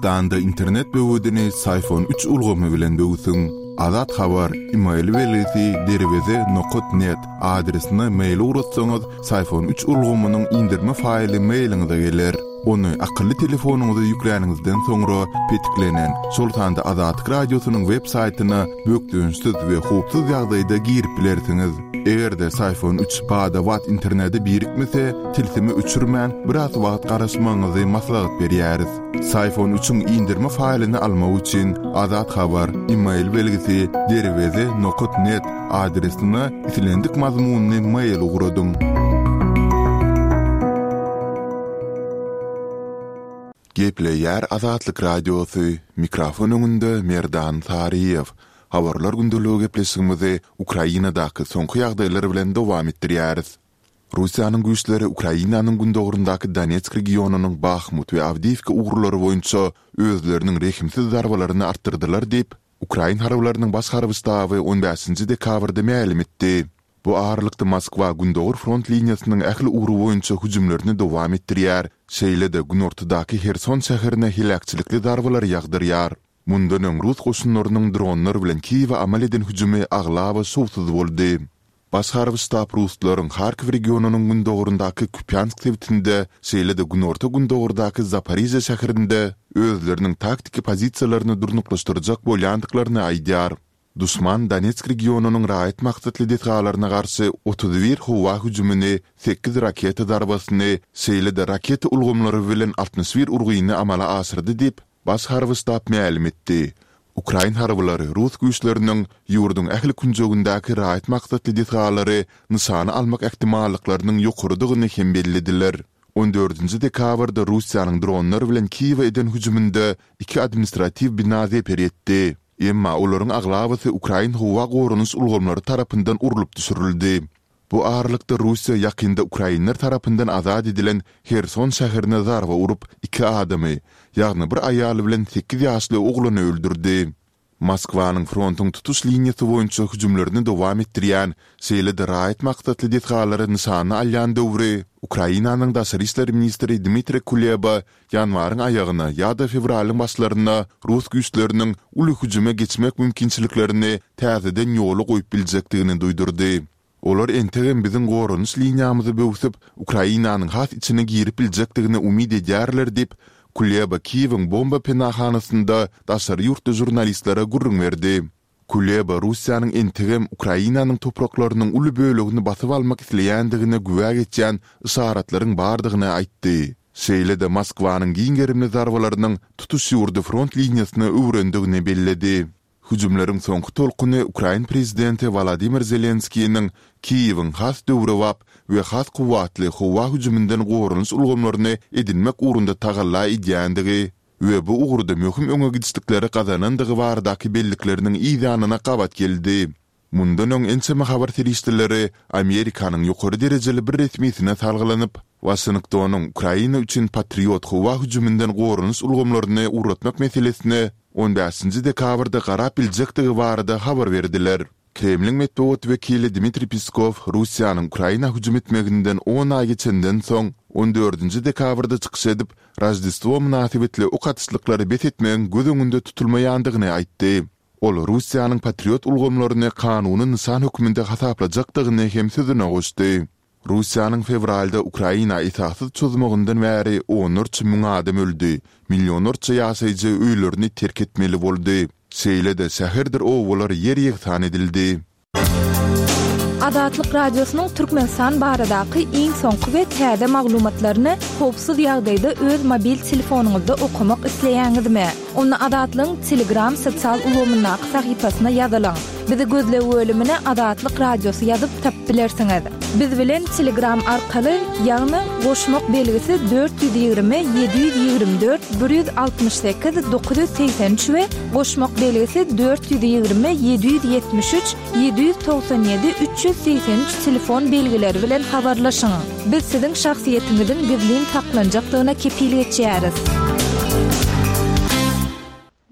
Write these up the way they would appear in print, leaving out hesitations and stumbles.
Türkmenistanda internet böwedini Syfon üç ulgamy bilen böwsüň. Azat Habar, email belgisi derweze nokat net adresine mail ugratsaňyz Syfon üç ulgamynyň indirme faýly mailiňize geler. Ony akylly telefonyňyza ýükläniňizden soňra petiklenen, şol sanda Azatlyk Radiosynyň web saýtyna bökdençsiz we howpsuz ýagdaýda girip bilersiňiz. Eger-de Syfon üç bada-bat internete birikmese, tilsimi öçürmän, biraz wagt garaşmagyňyzy maslahat berýäris. Syfon üçiň indirme faýlyny almak üçin Azat Habar, email belgisi, derweze nokat net adresine islendik mazmunly mail ugradyň. Gepleýär Azatlyk Radiosy, mikrofon öňünde Merdan Saryýew. Habarlar gündeligi gepleşigimizi Ukrainadaky soňky ýagdaýlar bilen dowam etdirýäris. Russiýanyň güýçleri Ukrainanyň gündogaryndaky Donetsk regionynyň Bahmut we Awdiýiwka ugurlary boýunça özleriniň rehimsiz zarbalaryny artdyrdylar diýip, ukrain harbylarynyň baş harby ştaby on bäşinji dekabrda mälim etdi. Bu aralykda Moskwa gündogar front liniýasynyň ähli ugry boýunça hüjümlerini dowam etdirýär, şeýle-de günortadaky Herson şäherine heläkçilikli zarbalary ýagdyrýar. Mundan öň rus goşunlarynyň dronlar bilen Kiýewe amal eden hüjümi aglaba şowsuz boldy. Baş harby ştab ruslaryň Harkow regionynyň gündogaryndaky Kupýansk sebitinde, şeýle-de günorta-gündogardaky Zaporižýa şäherinde özleriniň taktiki pozisiýalaryny durnuklaşdyrjak bolýandyklaryny aýdýar. Duşman Donetsk regionynyň raýat maksatly desgalaryna garşy 31 howa hüjümini, sekiz raketa zarbasyny, şeýle-de raketa ulgamlary bilen 61 urgyny amala aşyrdy diýip, Baş harby ştab mälim etdi. Ukrain harbylary rus güýçleriniň ýurduň ähli künjegindäki raýat maksatly desgalary nyşana almak ähtimallyklarynyň ýokarydygyny hem bellediler. On dördünji dekabrda Russiýanyň dronlar bilen Kiýewe eden hüjüminde iki administratiw bina zeper ýetdi. Emma olaryň aglabasy ukrain howa goranyş ulgamlary tarapyndan urlup düşürildi. Bu aralykda Russiýa ýakynda ukrainler tarapyndan azat edilen Herson şäherine zarba urup, iki adamy, ýagny bir aýaly bilen sekiz ýaşly oglany öldürdi. Moskwanyň frontuň tutuş liniýasy boýunça hüjümlerini dowam etdirýän, şeýle-de raýat maksatly desgalary nyşana alýan döwri, Ukrainanyň daşary işler ministri Dmitriý Kuleba ýanwaryň aýagyna ýa-da fewralyň başlaryna rus güýçleriniň uly hüjüme geçmek mümkinçiliklerini täzeden ýola goýup biljekdigini duýdurdy. Olar entegem biziň goranyş liniýamyzy böwsüp, Ukrainanyň has içine girip biljekdigine umyt edýärler diýip, Kuleba Kiýewiň bomba penahanasynda daşary ýurtly žurnalistlere gürrüň berdi. Kuleba Russiýanyň entegem Ukrainanyň topraklarynyň uly bölegini basyp almak isleýändigine güwä geçýän yşaratlaryň bardygyny aýtdy. Şeýle-de Moskwanyň giň gerimli zarbalarynyň tutuş ýurdy front liniýasyna öwrendigini belledi. Hüjümleriň soňky tolkuny ukrain prezidenti Wolodymyr Zelenskiniň Kiýewiň has döwrebap we has kuwwatly howa hüjüminden goranyş ulgamlaryny edinmek ugrunda tagalla edýändigi we bu ugurda möhüm öňe gidişlikleri gazanandygy baradaky bellikleriniň yz ýanyna gabat geldi. Mundan öň ençeme habar serişdeleri Amerikanyň ýokary derejeli bir resmisine salgylanyp, Waşingtonyň Ukraina üçin Patriot howa hüjüminden goranyş ulgamlaryny ugratmak meselesine on bäşinji dekabrda garap biljekdigi barada habar berdiler. Kremliň metbugat wekili Dmitriý Peskow Russiýanyň Ukraina hüjüm etmeginden on aý geçenden soň, on dördünji dekabrda çykyş edip, Roždestwo mynasybetli ok atyşlyklary bes etmegiň göz öňünde tutulmaýandygyny aýtdy. Ol Russiýanyň Patriot ulgamlaryny kanuny nyşan hökmünde hasaplajakdygyny hem sözüne goşdy. Russiýanyň fewralda Ukraina esassyz çozmagyndan bäri onlarça müň adam öldi, millionlarça ýaşaýjy öýlerini terk etmeli boldy. Şeýle-de şäherdir obalar ýer-ýegsan edildi. Azatlyk Radiosynyň Türkmenistan baradaky iň soňky we täze maglumatlaryny howpsuz ýagdaýda öz mobil telefonyňyzda okamak isleýäňizmi? Onda Azatlygyň Telegram sosial ulgamyndaky sahypasyna ýazylyň. Bizi gözleg bölümine Azatlyk Radiosy ýazyp tapyp bilersiňiz. Biz bilen Telegram arkaly, ýagny goşmak belgisi 420 724 168 983 we goşmak belgisi 420 773 797 383 telefon belgileri bilen habarlaşyň. Biz siziň şahsyýetiňiziň gizlin saklanjakdygyna kepil geçýäris.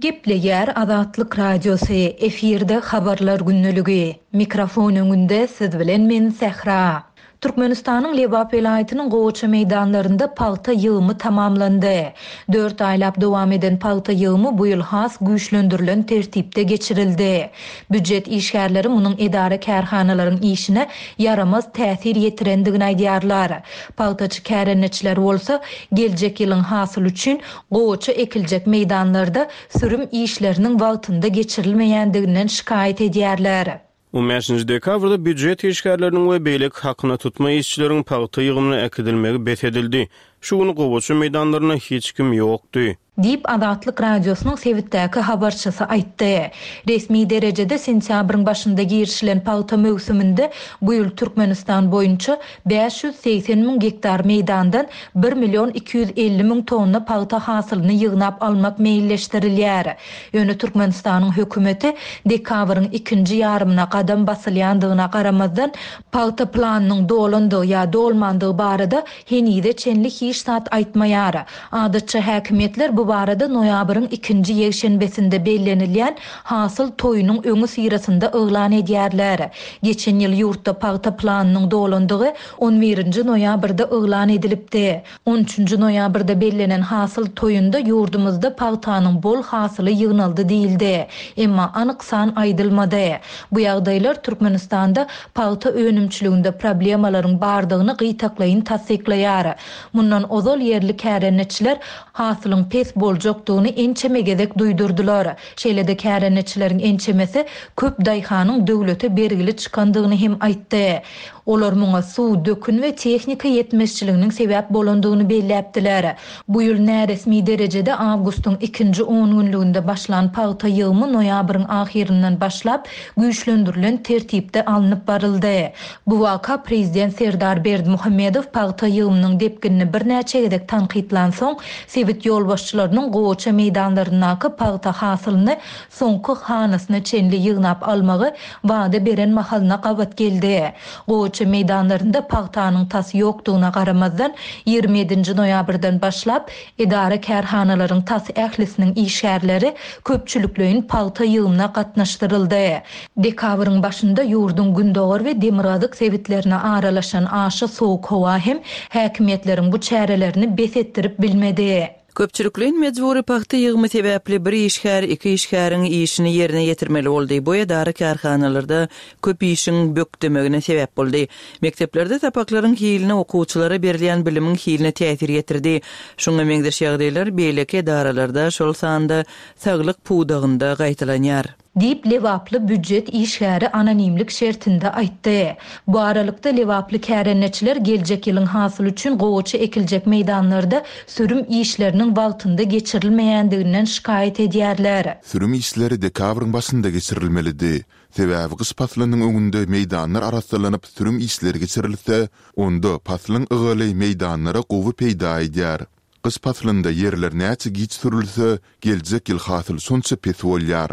Gepleýär Azatlyk Radiosy, efirde Habarlar gündeligi. Mikrofon öňünde siz bilen men Sähra. Türkmenistanyň Lebap welaýatynyň gowaça meýdanlarynda pagta ýygymy tamamlandy. Dört aýlap dowam eden pagta ýygymy bu ýyl has güýçlendirilen tertipde geçirildi. Býujet işgärleri munuň edara-kärhanalaryň işine ýaramaz täsir ýetirendigini aýdýarlar. Pagtaçy kärendeçiler bolsa, geljek ýylyň hasyly üçin gowaça ekiljek meýdanlarda sürüm işleriniň wagtynda geçirilmeýändiginden şikaýat edýärler. On bäşinji dekabrda býujet işgärleriniň we beýleki hakyna tutma işçileriň pagta ýygymyna äkidilmegi bes edildi. Şu gün gowaça meýdanlarynda hiç kim ýokdy. Diýip, Azatlyk Radiosynyň sebitdäki habarçysy aýtdy. Resmi derejede sentýabryň başynda girişilen pagta möwsüminde bu ýyl Türkmenistan boýunça 580 müň gektar meýdandan bir million 250 müň tonna pagta hasylyny ýygnap almak meýilleşdirilýär. Ýöne Türkmenistanyň hökümeti dekabryň ikinji ýarymyna gadam basylýandygyna garamazdan, pagta planynyň dolandygy ýa dolmandygy barada henize çenli hiç zat aýtmaýar. Adatça häkimiýetler bu barada noýabryň ikinji ýekşenbesinde bellenilýän Hasyl toýunyň öňüsyrasynda yglan edýärler. Geçen ýyl ýurtda pagta planynyň dolandygy on birinji noýabrda yglan edilipdi. On üçünji noýabrda bellenen Hasyl toýunda ýurdumyzda pagtanyň bol hasyly ýygnaldy diýildi. Emma anyk san aýdylmady. Bu ýagdaýlar Türkmenistanda pagta önümçiliginde problemalaryň bardygyny gytaklaýyn tassyklaýar. Mundan ozal ýerli kärendeçiler hasylyň pes boljakdygyny ençeme gezek duýdurdylar. Şeýle-de kärendeçileriň ençemesi köp daýhanyň döwlete bergili çykandygyny hem aýtdy. Olar muňa suw, dökün we tehnika ýetmezçiliginiň sebäp bolandygyny belläpdiler. Bu ýyl näresmi derejede awgustyň ikinji ongünlüginde başlan pagta ýygymy noýabryň ahyryndan başlap güýçlendirilen tertipde alnyp baryldy. Bu waka prezident Serdar Berdimuhamedow pagta ýygymynyň depginini birnäçe gezek tankytlansoň, sebit ýolbaşçylarynyň gowaça meýdanlaryndaky pagta hasylyny soňky hanasyna çenli ýygnap almagy wada beren mahalyna gabat geldi. Gowaça meýdanlarynda pagtanyň tas ýokdugyna garamazdan, 27 nji noýabrdan başlap, edara-kärhanalaryň tas ählisiniň işgärleri köpçülikleýin pagta ýygymyna gatnaşdyryldy. Dekabryň başynda ýurduň gündogar we demirgazyk sebitlerine aralaşan aşa sowuk howa hem häkimiýetleriň bu çärelerini bes etdirip bilmedi. Köpçülikleýin mejbury pagta ýygymy sebäpli bir işgär iki işgäriň işini ýerine ýetirmeli boldy. Bu edara-kärhanalarda köp işiň bökdemegine sebäp boldy. Mekdeplerde sapaklaryň hiline, okuwçylara berilýän bilimiň hiline täsir ýetirdi. Şuňa meňzeş ýagdaýlar beýleki edaralarda, şol sanda saglyk pudagynda gaýtalanýar. Diýip, lebaply býujet işgäri anonimlik şertinde aýtdy. Bu aralykda, lebaply kärendeçiler geljek ýylyň hasyly üçin gowaça ekiljek meýdanlarda sürüm işleriniň wagtynda geçirilmeýändiginden şikaýat edýärler. Sürüm işleri dekabryň başynda geçirilmelidi. Sebäbi gyş paslynyň öňünde meýdanlar arassalanyp sürüm işleri geçirilse, onda paslyň ygaly meýdanlara gowy peýda edýär. Gyş paslynda ýerler näçe giç sürülse, geljek ýyl hasyl şonça pes bolýar.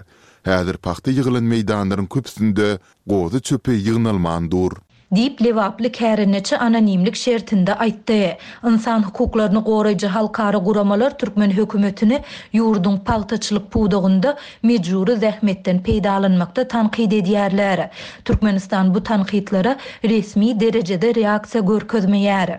Häzir pagta ýygylan meýdanlaryň köpüsinde gozy çöpi ýygnalman dur. Diýip, lebaply kärendeçi anonimlik şertinde aýtdy. Ynsan hukuklaryny goraýjy halkara guramalar türkmen hökümetini ýurduň pagtaçylyk pudagynda mejbury zähmetden peýdalanmakda tankyt edýärler. Türkmenistan bu tankytlara resmi derejede reaksiýa görkezmeýär.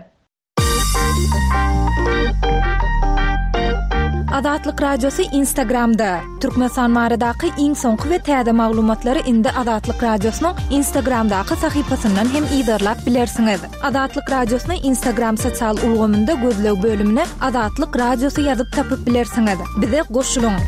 Azatlyk Radiosy Instagramda, Türkmenistan baradaky iň soňky we täze maglumatlary indi Azatlyk Radiosynyň Instagramdaky sahypasyndan hem yzarlap bilersiňiz. Azatlyk Radiosyny Instagram sosial ulgamynda gözleg bölümine Azatlyk Radiosy ýazyp tapyp bilersiňiz. Bize goşulyň!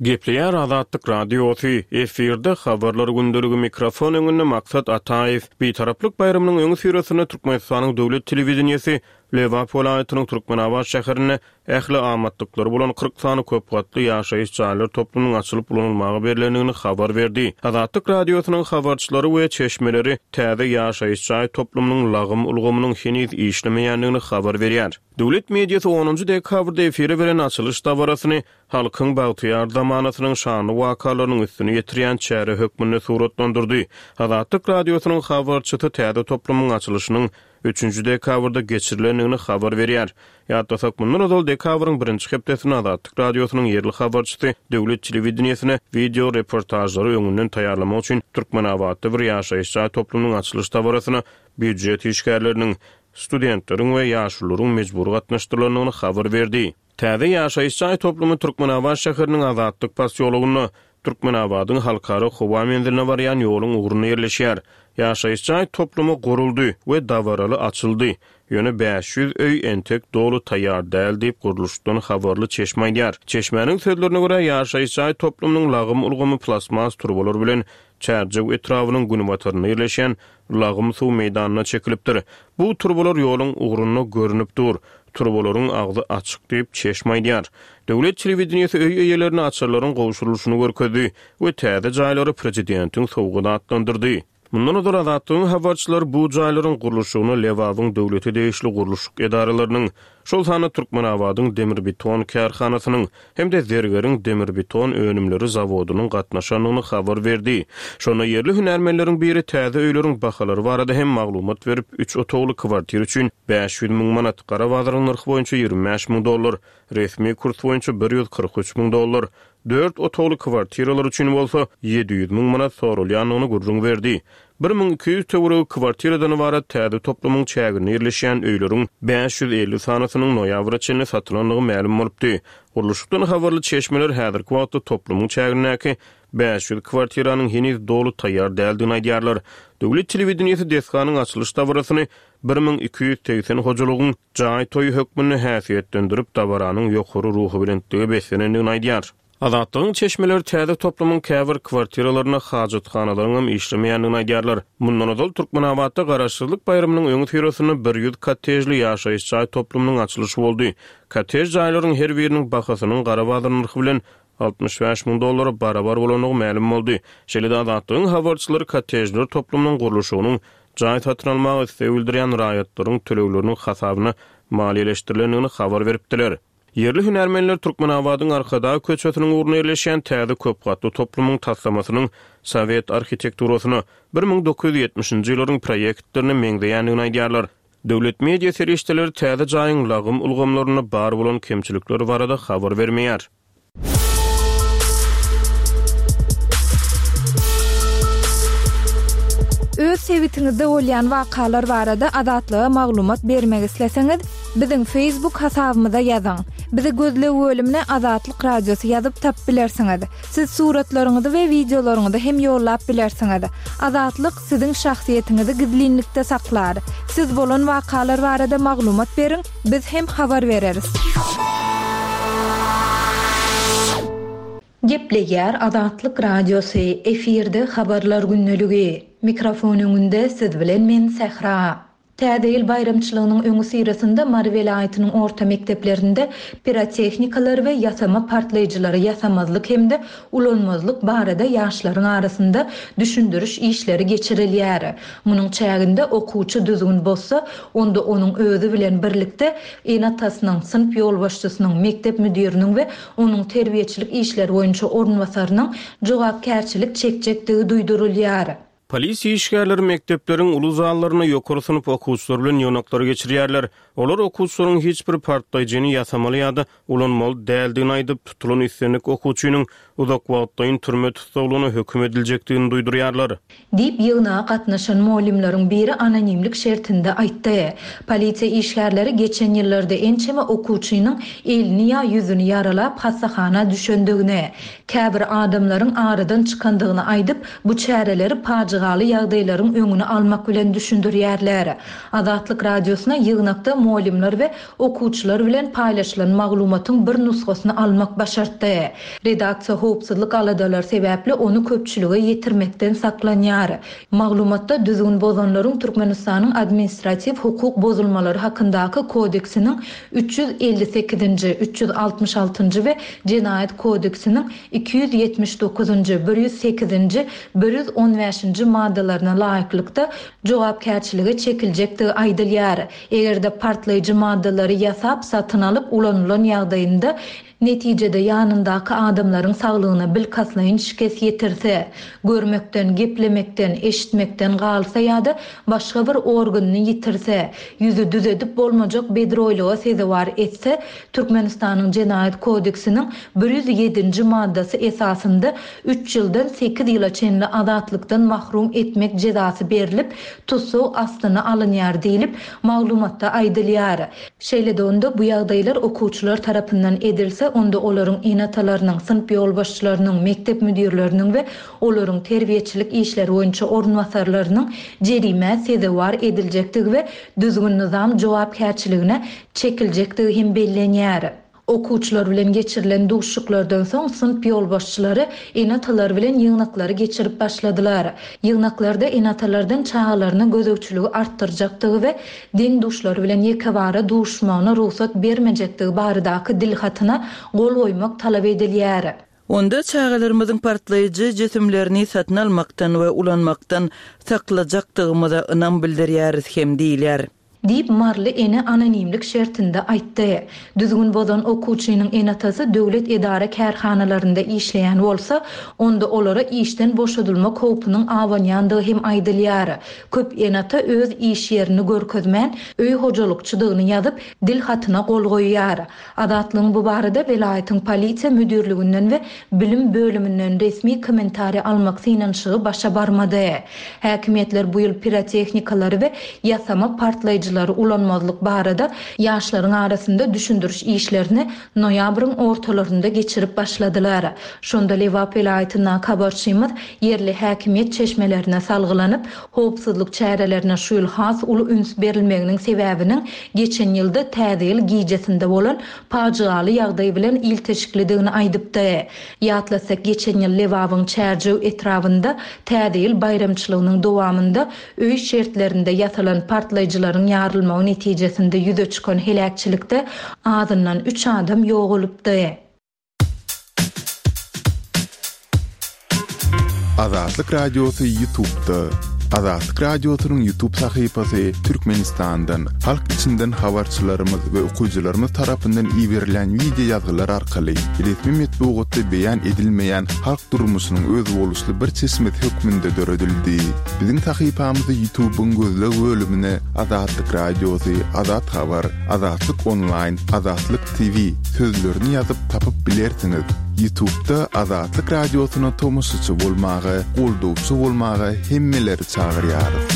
Gepleýär Azatlyk Radiosy, efirde Habarlar gündeligi mikrofon öňünde Maksat Ataýew. Bitaraplyk baýramynyň öňüsyrasynda Türkmenistanyň döwlet telewideniýesi Lebap welaýatynyň Türkmenabat şäherinde ähli amatlyklary bolan 40 sany köp gatly ýaşaýyş jaýlar toplumynyň açylyp ulanylmaga berlendigini habar berdi. Azatlyk Radiosynyň habarçylary we çeşmeleri täze ýaşaýyş jaý toplumynyň lagym ulgamynyň heniz işlemeýändigini habar berýär. Döwlet mediasy onunjy dekabrda efire beren açylyş dabarasyny halkyň bagtyýar zamanasynyň şanly wakalarynyň üstüni ýetirýän çäre hökmünde suratlandyrdy. Azatlyk Radiosynyň habarçysy täze toplumyň açylyşynyň Üçünji dekabrda geçirilendigini habar berýär. Ýatlasak, mundan ozal dekabryň birinji hepdesinde Azatlyk Radiosynyň ýerli habarçysy döwlet telewideniýesine wideo reportažlary öňünden taýýarlamak üçin Türkmenabatda bir ýaşaýyş jaý toplumynyň açylyş dabarasyna býujet işgärleriniň, studentleriň we ýaşulularyň mejbury gatnaşdyrylandygyny habar berdi. Täze ýaşaýyş jaý toplumy Türkmenabat şäheriniň Azatlyk posýologynda, Türkmenabadyň Halkara howa menziline barýan ýoluň ugrunda ýerleşýär. Ýaşaýyş jaý toplumy guruldy we dabaraly açyldy. Ýöne 500 öý entek doly taýýar däl diýip, gurluşykdan habarly çeşme aýdýar. Çeşmäniň sözlerine görä, ýaşaýyş jaý toplumynyň lagym ulgamy plastmas turbalar bilen Çärjew etrabynyň günbatarynda ýerleşýän lagym suw meýdanyna çekilipdir. Bu turbalar ýoluň ugrunda görnüp dur. Turbalaryň agzy açyk diýip, çeşme aýdýar. Döwlet telewideniýesi öý eýelerine açarlaryň gowşurylyşyny görkezdi we täze jaýlary prezidentiň sowgady atlandyrdy. Mundan ozal Azatlygyň habarçylary bu jaýlaryň gurluşygyna Lebabyň döwlete degişli gurluşyk edaralarynyň, şol sanda Türkmenabadyň demirbeton kärhanasynyň hem-de Zergeriň demirbeton önümleri zawodynyň gatnaşandygyny habar berdi. Şonda ýerli hünärmenleriň biri täze öýleriň bahalary barada hem maglumat berip, üç otagly kwartira üçin 500 müň manat, gara bazaryň nyrhy boýunça 25 müň dollar, resmi kurs boýunça 143 müň dollar, dört otagly kwartiralar üçin bolsa 700 müň manat soralýandygyny gürrüň berdi. 1200 töweregi kwartiradan ybarat täze toplumyň çäginde ýerleşýän öýleriň 550 sanysynyň noýabra çenli satylandygy mälim bolupdy. Gurluşykdan habarly çeşmeler häzirki wagtda toplumyň çägindäki 500 kwartiranyň heniz doly taýýar däldigini aýdýarlar. Döwlet telewideniýesi desganyň açylyş dabarasyny 1280 hojalygyň jaý toýy hökmünde häsiýetlendirip, dabaranyň ýokary ruhubelentlige beslenendigini aýdýar. Azatlygyň çeşmeleri täze toplumyň käbir kwartiralarynda hajathanalaryňam işlemeýändigini aýdýarlar. Mundan ozal Türkmenabatda Garaşsyzlyk baýramynyň öňüsyrasynda 100 kottejli ýaşaýyş jaý toplumynyň açylyşy boldy. Kottej jaýlaryň her biriniň bahasynyň gara bazar nyrhy bilen 65 müň dollara barabar bolandygy mälim boldy. Şeýle-de Azatlygyň habarçylary kottejler toplumynyň gurluşygynyň jaý satyn almaga isleg bildirýän raýatlaryň tölegleriniň hasabyna maliýeleşdirilendigini habar beripdiler. Ýerli hünärmenler Türkmenabadyň Arkadag köçesiniň ugrunda ýerleşýän täze köp gatly toplumyň taslamasynyň sowet arhitekturasyna, 1970-nji ýyllaryň proýektlerine meňzeýändigini aýdýarlar. Döwlet media serişdeleri täze jaýyň lagym ulgamlarynda bar bolan kemçilikler barada habar bermeýär. Öz sebitiňizde bolýan wakalar barada Azatlyga maglumat bermek isleseňiz, biziň Facebook hasabymyza ýazyň. Bizi gözleg bölümine Azatlyk Radiosy ýazyp tapyp bilersiňiz. Siz suratlaryňyzy we wideolaryňyzy hem ýollap bilersiňiz. Azatlyk siziň şahsyýetiňizi gizlinlikde saklar. Siz bolan wakalar barada maglumat beriň, biz hem habar bereris. Gepleýär Azatlyk Radiosy, efirde Habarlar gündeligi. Mikrofon öňünde siz bilen men Sähra. Täze ýyl baýramçylygynyň öňüsyrasynda Mary welaýatynyň orta mekdeplerinde pirotehnikalary we ýasama partlaýjylary ýasamazlyk hem-de ulanmazlyk barada ýaşlaryň arasynda düşündiriş işleri geçirilýär. Munuň çäginde okuwçy düzgün bozsa, onda onuň özi bilen birlikde ene-atasynyň, synp ýolbaşçysynyň, mekdep müdiriniň we onuň terbiýeçilik işleri boýunça orunbasarynyň jogapkärçilik çekjekdigi duýdurylýar. Polisiýa işgärleri mekdepleriň uly zallarynda ýokary synp okuwçylary bilen ýygnaklary geçirýärler. Olar okuwçylaryň hiç bir partlaýjyny ýasamaly ýa-da ulanmaly däldigini aýdyp, tutulan islendik okuwçynyň uzak wagtlaýyn türme tussaglygyna höküm ediljekdigini duýdurýarlar. Diýip, ýygnaga gatnaşan mugallymlaryň biri anonimlik şertinde aýtdy. Polisiýa işgärleri geçen ýyllarda ençeme okuwçynyň elini ýa ýüzüni ýaralap hassahana düşendigini, käbir adamlaryň aradan çykandygyny aýdyp, bu çäreleri pajygaly ýagdaýlaryň öňüni almak bilen düşündirýärler. Azatlyk Radiosyna ýygnakda mugallymlar we okuwçylar bilen paýlaşylan maglumatyň bir nusgasyny almak başartdy. Redaksiýa howpsuzlyk aladalary sebäpli ony köpçülige ýetirmekden saklanýar. Maglumatda düzgün bozanlaryň Türkmenistanyň Administratiw hukuk bozulmalary hakyndaky kodeksiniň 358-nji, 366-njy we Jenaýat kodeksiniň 279-njy, 108-nji, 115-nji maddalaryna laýyklykda jogapkärçilige çekiljekdigi aýdylýar. Eger-de partlaýjy maddalary ýasap, satyn alyp ulanylan ýagdaýynda. Netijede ýanyndaky adamlaryň saglygyna bilkastlaýyn şikes ýetirse, görmekden, geplemekden, eşitmekden galsa ýa-da başga bir organyny ýitirse, ýüzi düzedip bolmajak bedroýlyga sezewar etse, Türkmenistanyň Jenaýat kodeksiniň 107-nji maddasy esasynda üç ýyldan sekiz ýyla çenli azatlykdan mahrum etmek jezasy berlip, tussag astyna alynýar diýlip, maglumatda aýdylýar. Şeýle-de onda bu ýagdaýlar okuwçylar tarapyndan edilse, onda olaryň ene-atalarynyň, synp ýolbaşçylarynyň, mekdep müdirleriniň we olaryň terbiýeçilik işleri boýunça orunbasarlarynyň jerimä sezewar ediljekdigi we düzgün-nyzam jogapkärçiligine çekiljekdigi hem bellenýär. Okuwçylar bilen geçirilen duşuşyklardan soň synp ýolbaşçylary ene-atalar bilen ýygnaklary geçirip başladylar. Ýygnaklarda ene-atalardan çagalaryna gözegçiligi artdyrjakdygy we deň-duşlary bilen ýekebara duşuşmagyna rugsat bermejekdigi baradaky dilhatyna gol goýmak talap edilýär. Onda çagalarymyzyň partlaýjy jisimlerini satyn almakdan we ulanmakdan saklajakdygymyza ynam bildirýäris hem diýilýär. Diýip, maryly ene anonimlik şertinde aýtdy. Düzgün bozan okuwçynyň ene-atasy döwlet edara-kärhanalarynda işleýän bolsa, onda olara işden boşadylmak howpunyň abanýandygy hem aýdylýar. Köp ene-ata öz iş ýerini görkezmän, öý hojalykçydygyny ýazyp, dil hatyna gol goýýar. Azatlygyň bu barada welaýatyň polisiýa müdirliginden we bilim bölüminden resmi kommentariý almak synanyşygy başa barmady. Häkimiýetler bu ýyl piroteknikalary we ýasama partlaýjylary ulanmazlyk barada ýaşlaryň arasynda düşündiriş işlerini noýabryň ortalarynda geçirip başladylar. Şonda Lebap welaýatyndaky habarçymyz ýerli häkimiýet çeşmelerine salgylanyp, howpsuzlyk çärelerine şu ýyl has uly üns berilmeginiň sebäbiniň geçen ýylda Täze ýyl gijesinde bolan pajygaly ýagdaý bilen ilteşiklidigini aýdypdy. Ýatlatsak, geçen ýyl Lebabyň Çärjew etrabynda Täze ýyl baýramçylygynyň dowamynda öý şertlerinde ýasalan partlaýjylaryň ýarylmagy netijesinde ýüze çykan heläkçilikde azyndan üç adam ýogalypdy. Azatlyk Radiosy Ýutubda. Azatlyk Radiosynyň Ýutub sahypasy Türkmenistandan, halk içinden habarçylarymyz we okyjylarymyz tarapyndan iberilýän wideo ýazgylar arkaly resmi metbugatda beýan edilmeýän halk durmuşynyň özboluşly bir çeşmesi hökmünde döredildi. Biziň sahypamyzy Ýutubyň gözleg bölümine Azatlyk Radiosy, Azat Habar, Azatlyk Onlaýn, Azatlyk TV sözlerini ýazyp tapyp bilersiňiz. Ýutubda Azatlyk Radiosyna tomaşaçy bolmaga, goldawçy bolmaga hemmeleri çagyrýarys.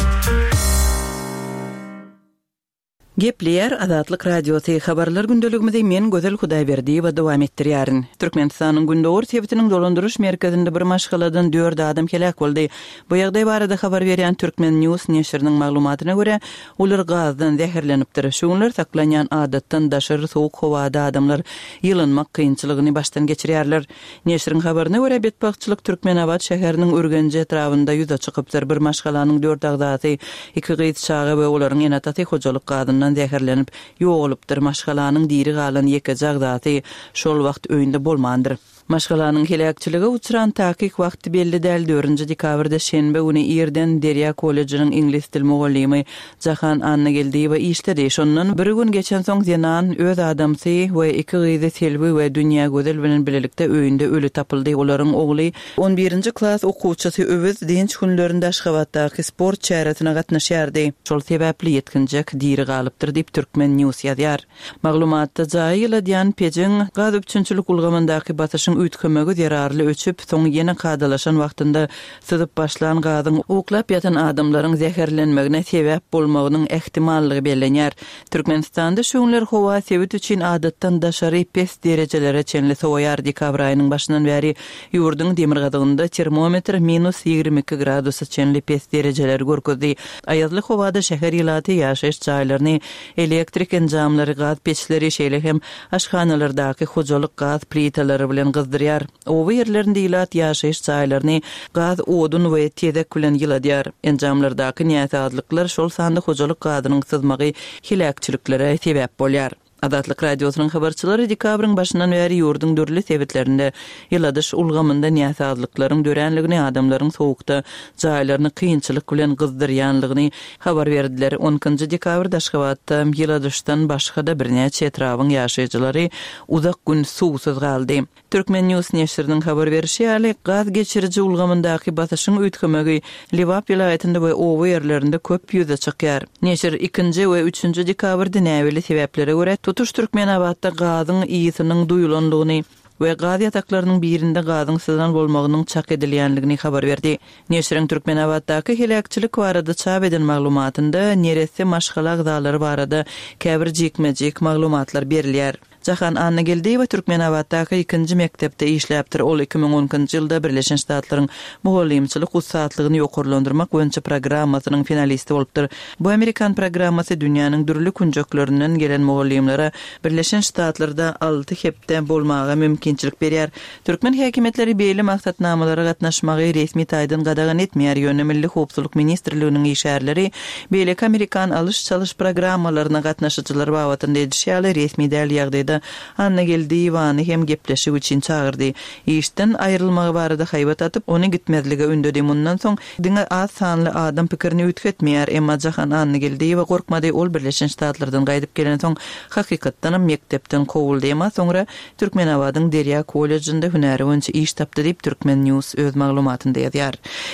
Gepleýär Azatlyk Radiosy, Habarlar gündeligimizi men Gözel Hudaýberdiýewa dowam etdirýärin. Türkmenistanyň gündogar sebitiniň dolandyryş merkezinde bir maşgaladan dört adam heläk boldy. Bu ýagdaý barada habar berýän Turkmen News neşiriniň maglumatyna görä, Olar gazdan zäherlenipdir. Şu günler saklanýan adatdan daşary sowuk howada adamlar ýylynmak kynçylygyny başdan geçirýärler. Neşiriň habaryna görä, betbagtçylyk Türkmenabat şäheriniň Ürgenji etrabynda ýüze çykypdyr. Bir maşgalanyň dört agzasy, iki gyz çaga we olaryň ene-atasy hojalyk gazyndan zäherlenip, ýogalypdyr. Maşgalanyň diri galan ýekeje agzasy şol wagt öýünde bolmandyr. Maşgalanyň heläkçilige uçran takyk wagty belli däl, dördünji dekabrda şenbe güni irden Derýa kollejiniň iňlis dil mugallymy Jahan Annageldiýewa işdedi. Şondan bir gün geçensoň zenan öz adamsy we iki gyzy Selbi we Dünýägözel bilen bilelikde öýünde öli tapyldy. Olaryň ogly, on birinji klas okuwçysy Öwez dynç günlerinde Aşgabatdaky sport çäresine gatnaşýardy. Şol sebäpli ýetginjek diri galypdyr diýip, Turkmen. News ýazýar. Maglumatda jaýy ýyladýan pejiň gaz üpjünçilik ulgamyndaky basyşyň üýtgemegi zerarly öçüp, soň ýene kadalaşan wagtynda syzyp başlan gazyň uklap ýatan adamlaryň zäherlenmegine sebäp bolmagynyň ähtimallygy bellenýär. Türkmenistanda şu günler howa sebit üçin adatdan daşary pes derejelere çenli sowaýar. Dekabr aýynyň başyndan bäri ýurduň demirgazygynda termometr minus 22 gradusa çenli pes derejeleri görkezdi. Aýazly howada şäher ilaty ýaşaýyş jaýlaryny Elektrik enjamlary, gaz peçleri, şeýle hem aşhanalardaky hojalyk gaz plitalary bilen gyzdyrýar. Oba ýerlerinde ilat ýaşaýyş jaýlaryny gaz, odun we tezek bilen ýyladýar. Enjamlardaky näsazlyklar, şol sanda hojalyk gazynyň syzmagy heläkçiliklere sebäp bolýar. Azatlyk Radiosynyň habarçylary dekabryň başyndan bäri ýurduň dürli sebitlerinde ýyladyş ulgamynda näsazlyklaryň döränligini, adamlaryň sowukda jaýlaryny kynçylyk bilen gyzdyrýanlygyny habar berdiler. On ikinji dekabrda Aşgabatda ýyladyşdan başga-da birnäçe etrabyň ýaşaýjylary uzak gün suwsuz galdy. Turkmen. News neşiriniň habar berşi ýaly, gaz geçiriji ulgamyndaky basyşyň üýtgemegi Lebap welaýatynda we oba ýerlerinde köp ýüze çykýar. Neşir ikinji we üçünji dekabrda näbelli sebäplere görä tutuş Türkmenabatda gazyň ysynyň duýulandygyny we gaz ýataklarynyň birinde gazyň syzan bolmagynyň çak edilýändigini habar berdi. Neşiriň Türkmenabatdaky heläkçilik barada çap eden maglumatynda neresse maşgala agzalary barada käbir jikme-jik maglumatlar berilýär. Jahan Annageldiýewa Türkmenabatdaky ikinji mekdepde işläpdir. Ol 2012-nji ýylda Birleşen Ştatlaryň mugallymçylyk ussatlygyny ýokarlandyrmak boýunça programmasynyň finalisti bolupdyr. Bu amerikan programmasy dünýäniň dürli künjeklerinden gelen mugallymlara Birleşen Ştatlarda alty hepde bolmaga mümkinçilik berýär. Türkmen häkimiýetleri beýle maksatnamalara gatnaşmagy resmi taýdan gadagan etmeýär, ýöne Milli howpsuzlyk ministrliginiň işgärleri beýleki amerikan alyş-çalyş programmalaryna gatnaşyjylar babatynda edişi ýaly resmi däl ýagdaýda Annageldiýewany hem gepleşik üçin çagyrdy. Işden aýrylmagy barada haýbat atyp, ony gitmezlige ündedi. Mundan soň diňe az sanly adam pikirini üýtgetmeýär. Emma Jahan Annageldiýewa gorkmady, ol Birleşen Ştatlardan gaýdyp gelensoň hakykatdanam mekdepden kowuldy. Emma soňra Türkmenabadyň Derýa kollejinde hünäri boýunça iş tapdy diýip, Turkmen. News öz maglumatynda ýazýar.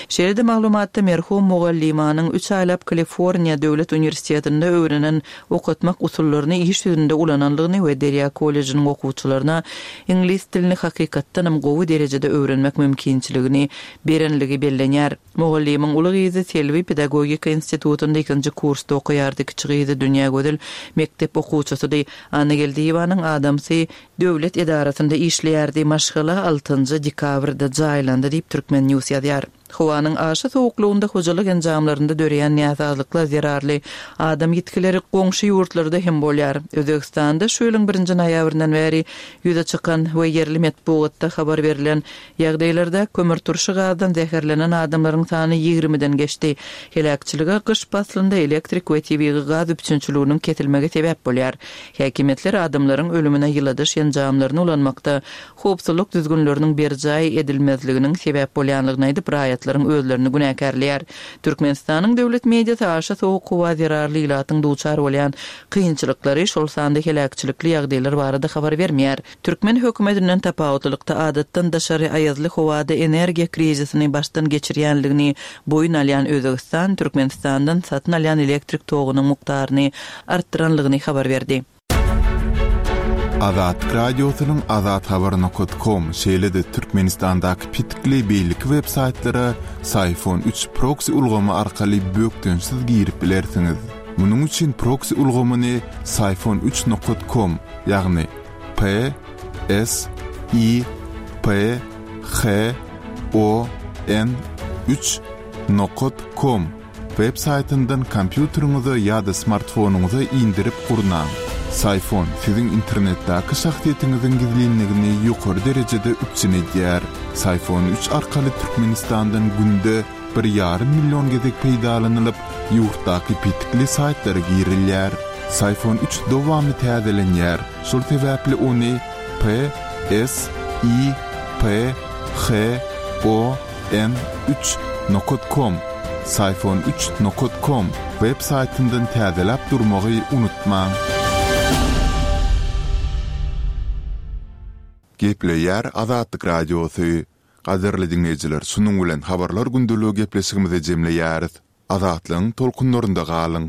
Şeýle-de maglumatda merhum mugallymanyň üç aýlap Kaliforniýa döwlet uniwersitetinde öwrenen okatmak usullaryny iş ýüzünde ulanandygyny we Derýa kollejiniň okuwçylaryna iňlis dilini hakykatdanam gowy derejede öwrenmek mümkinçiligini berenligi bellenýär. Mugallymyň uly gyzy Selbi pedagogika institutynda ikinji kursda okaýardy, kiçi gyzy Dünýägözel mekdep okuwçysydy. Annageldiýewanyň adamsy döwlet edarasynda işleýärdi. Maşgala altynjy dekabrda jaýlandy diýip, Turkmen. News ýazýar. Howanyň aşa sowuklygynda hojalyk enjamlarynda döreýän näsazlyklar zerarly adam ýitgileri goňşy ýurtlarda hem bolýar. Özbegistanda şu ýylyň birinji noýabryndan bäri ýüze çykan we ýerli metbugatda habar berlen Ýagdaýlarda kömürturşy gazdan zäherlenen adamlaryň sany ýigrimiden geçdi. Heläkçilige gyş paslynda elektrik we tebigy gaz üpjünçiliginiň kesilmegi sebäp bolýar. Häkimiýetler adamlaryň ölümine ýyladyş enjamlaryny ulanmakda howpsuzlyk düzgünleriniň berjaý edilmezliginiň sebäp bolýanlygyny aýdyp, raýatlaryň özlerini günäkärleýär. Türkmenistanyň döwlet mediasy aşa sowuk howa zerarly ilatyň duçar bolýan kynçylyklary, şol sanda heläkçilikli ýagdaýlar barada habar bermeýär. Türkmen hökümetinden tapawutlylykda adatdan daşary aýazly howada energiýa krizisini başdan geçirýänligini boýun alýan Özbegistan Türkmenistandan satyn alýan elektrik togunyň mukdaryny artdyranlygyny habar berdi. Azatlyk Radiosynyň azathabar nokat kom şeýle-de Türkmenistandaky petikli beýleki web saýtlara Syfon üç proksi ulgamy arkaly bökdençsiz girip bilersiňiz. Munuň üçin proksi ulgamyny Syfon üç nokat kom ýagny P S I P H O N üç nokat kom web saýtyndan kompýuteriňize ýa-da smartfonyňyza indirip gurnaň. Syfon siziň internetdäki şahsyýetiňiziň gizlinligini ýokary derejede üpjün edýär. Syfon üç arkaly Türkmenistandan günde bir ýarym million gezek peýdalanylyp, ýurtdaky petikli saýtlara girilýär. Syfon üç dowamly täzelenýär, şol sebäpli ony P S I P H O N üç nokat kom, Syfon üç nokat kom, web saýtyndan täzeläp durmagy unutmaň. Gepleýär Azatlyk Radiosy. Gadyrly diňleýjiler şunuň bilen Habarlar gündeligi gepleşigimizi jemleýäris. Azatlygyň tolkunlarynda galyň!